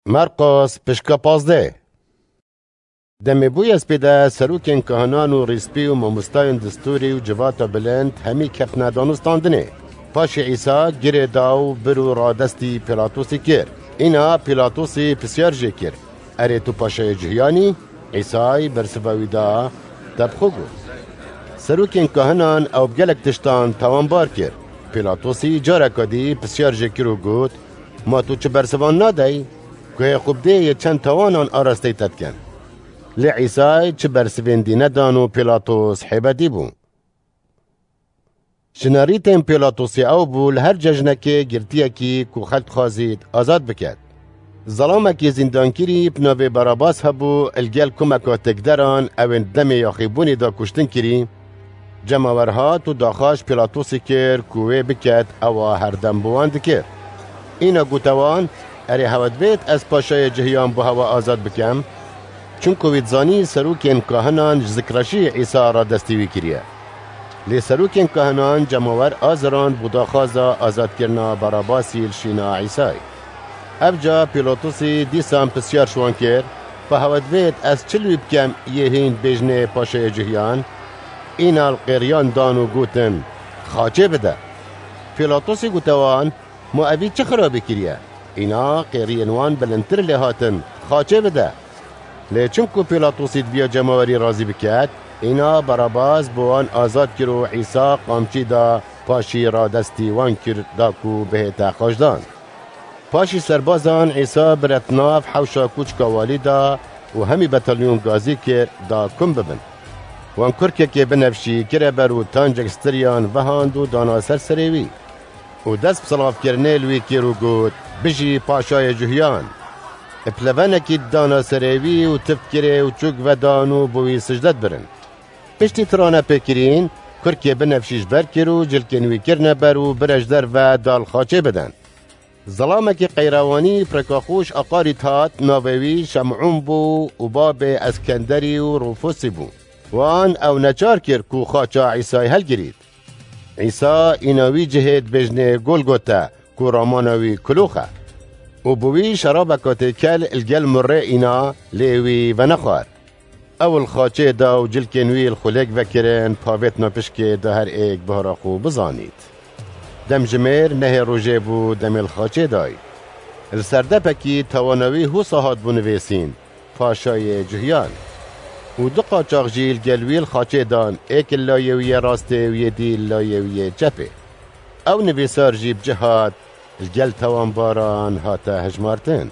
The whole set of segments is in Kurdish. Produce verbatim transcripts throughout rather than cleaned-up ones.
Merqos pişka pazdeh. Demê bûye spêde serokên kahinan û rîspî û mamostayên distûrî û civata bilind hemî ketine danûstandinê. Paşê Îsa girê da û bir û radestî Pîlatosî kir. Îna Pîlatosî pisyar jê kir, "Erê tu paşayê Cihiyan î?" Îsay bersiva wî da, te bi xwe got. Serokên kahinan ew bi gelek tiştan tawanbar kir. Pîlatosî careka dî pisyar jê kir û got, "Ma tu çi bersivan nadey? Guhê xwe bidê yê çend tawanan arasteyî te dikin." Lê Îsay çi bersivên dî nedan û Pîlatos hêbetî bû. Ji nerîtên Pîlatosê ew bû li her cejnekê girtiyekî ku xelk dixwazît azad biket. Zelamekî zîndankirî bi navê Barabas hebû, li gel kumeka têkderan ew ên demê yaxîbûnê de kuştin kirî. Cemawer hat û daxwaz ji Pîlatosê kir ku wê biket, ewa herdem bi wan dikir. Îna gote wan, "Erê hewe divêt ez paşayê Cihiyan bo hewe azad bikem?" Çunku wî dizanî serokên kahinan ji zikreşî Îsa radestî wî kiriye. Lê serokên kahinan cemawer azirand bo daxwaza azadkirina Barabasî li şîna Îsayê. Evca Pîlatosî dîsan pisyar ji wan kir, "Pa hewe divêt ez çi li wî bikem yê hîn bêjinê paşayê Cihiyan?" Îna li qêriyan dan û gotin, "Xaçê bide." Pîlatosî gote wan, "Ma evî çi xirabî kiriye?" Îna qêriyên wan bilindtir lê hatin, "Xaçê bide." Lê çimku Pîlatosî dibiya cemawerî razî biket, îna Barabas bi wan azad kir û Îsa qamçî da, paşî radestî wan kir da ku bihête xaçdan. Paşî serbazan Îsa biret nav hewşa kûçka walî da û hemî betalyon gazî kir da kum bibin. Wan kurkekê binevşî kire ber û tancek stiriyan vehand û dana ser serê wî. Û dest bi silavkirinê li wî kir û got, "Bijî paşayê Cuhiyan!" Bi levenekî dana serê wî û tift kirê û çûk vedan û bo wî sicde dibirin. Piştî tirane pê kirîn, kurkê binevşî ji ber kir û cilkên wî kirine ber û bire ji derve da li xaçê bidin. Zilamekî qeyrewanî pireka xwe ji aqarî dihat, navê wî Şemûn bû û babê Eskenderî û Rûfusî bû. Wan ew neçar kir ku xaça Îsayê helgirît. Îsa îna wî cihê dibêjinê Golgota, ku ramana wî Kilox e. Û bi wî şerabeka têkel li gel murrê îna, lê wî venexwar. Ew li xaçê da û cilkên wî li xulêk vekirin, pavêtina pişkê da her êk bihara xwe bizanît. Demjimêr nehê rojê bû demê li xaçê dayî. Li serdepekî tawana wî husa hatbû nivêsîn, Paşayê Cuhiyan. Û du qaçax jî li gel wî li xaçê dan, êk li layê wî yê rastê û yê dî li layê wî yê çepê. Ew nivîsar jî bi cih hat, li gel tawanbaran hate hejmartin.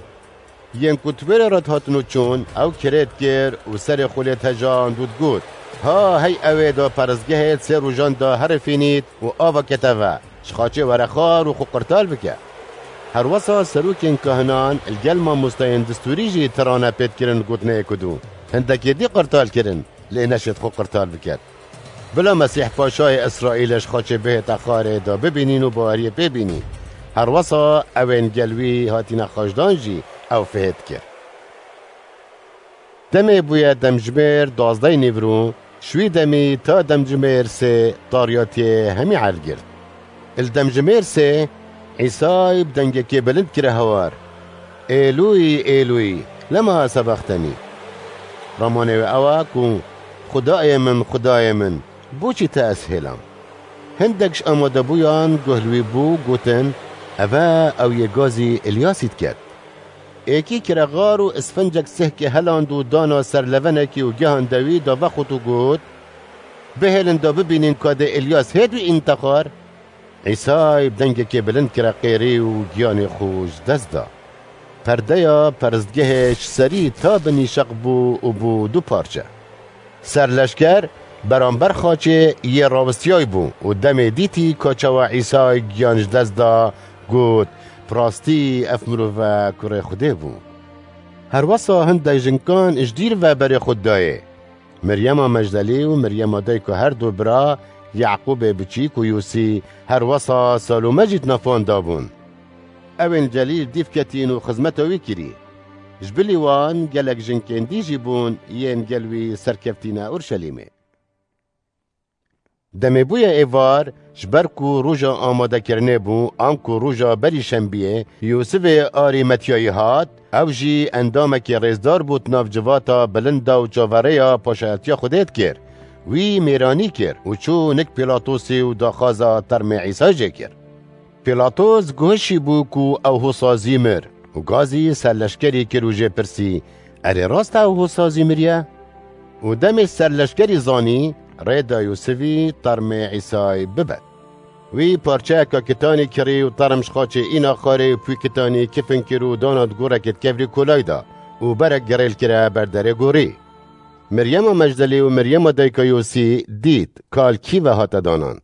Yên ku di wê re re dihatin û çûn, ew kirêt kir û serê xwe lê tejand û digot, "Ha hey ew ê da perestgehê di sê rojan da herifînît û ava kete ve, ji xaçê were xwar û xwe qirtal bike." Herwesa serokên kahinan li gel mamosteyên distûrî jî tirane pê dikirin gotinê yek û du. Hindekê dî qirtal kirin, lê neşêt xwe qirtal biket. Bila Mesîh Paşayê Îsraîlê ji xaçê bihête xwarê da bibînîn û baweriyê pê bînî. Herwesa ewên gel wî hatîne xaçdan jî ew fihêt kir. Demê bûye demjimêr duwazdeh nîvro, ji wî demî ta demjimêr sê tariyatiyê hemî ergirt. Li demjimêr sê, Îsay bi dengekê bilind kire hewar, "Êlûyî, Êlûyî, lema sebextenî?" Ramanê wê ew e ku, "Xwedayê min, Xwedayê min, boçî te ez hêlam?" Hindek ji amadebûyan guh li wî bû, gotin, "Ev e ew yê gazî Îlyasî diket." Êkî kire xwar û isfincek sihkê heland û dana ser levenekî û gihande wî da vexwit û got, "Bihêlin da bibînin ka dê Îlyas hêt wî înte xwar." Îsay bi dengekê bilind kire qêrî û giyanê xwe ji dest da. Perdeya peristgehê ji serî ta binî şeq bû û bû du parçe. Serleşker beramber xaçê yê rawistiyay bû û demê dîtî ka çawa Îsay giyan ji dest da, got, "Bi rastî ev mirov e kurê Xwedê bû." Herwesa hindek jinkan ji dîr ve berê xwe dayê. Miryema Mecdelî û Miryema dayika her du bira Yaqûbê biçîk û Yûsî, herwesa Salome jî di nav wan de bûn. Ewên Celîl dîv ketîn û xizmeta wî kirî. Ji bilî wan gelek jinkên dî jî bûn yên gel wî serkevtîne Urşelîmê. Demê bûye êvar, ji ber ku roja amadekirinê bû, anku roja berî şembiyê, Yûsifê Arîmetiyayî hat, ew jî endamekî rêzdar bû di nav civata bilind de û çaverêya paşayetiya Xwedê dikir. Wî mêranî kir û çû nik Pîlatosê û daxwaza termê Îsa jê kir. Pîlatos guhişî bû ku ew hosa zî mir û gazî serleşkerî kir û jê pirsî, "Erê rast e ew hosa zî miriye?" Û demê serleşkerî zanî, rê da Yûsifî termê Îsayî bibe. Wî parçeyeka kitanî kirî û term ji xaçê îna xarê û pû kitanî kifin kir û dana di gorekê di kevrî kolay da û berek girêl kire ber derê gorî. Miryema Mecdelî û Miryema dayika Yûsî dît, kal kî ve hate danan.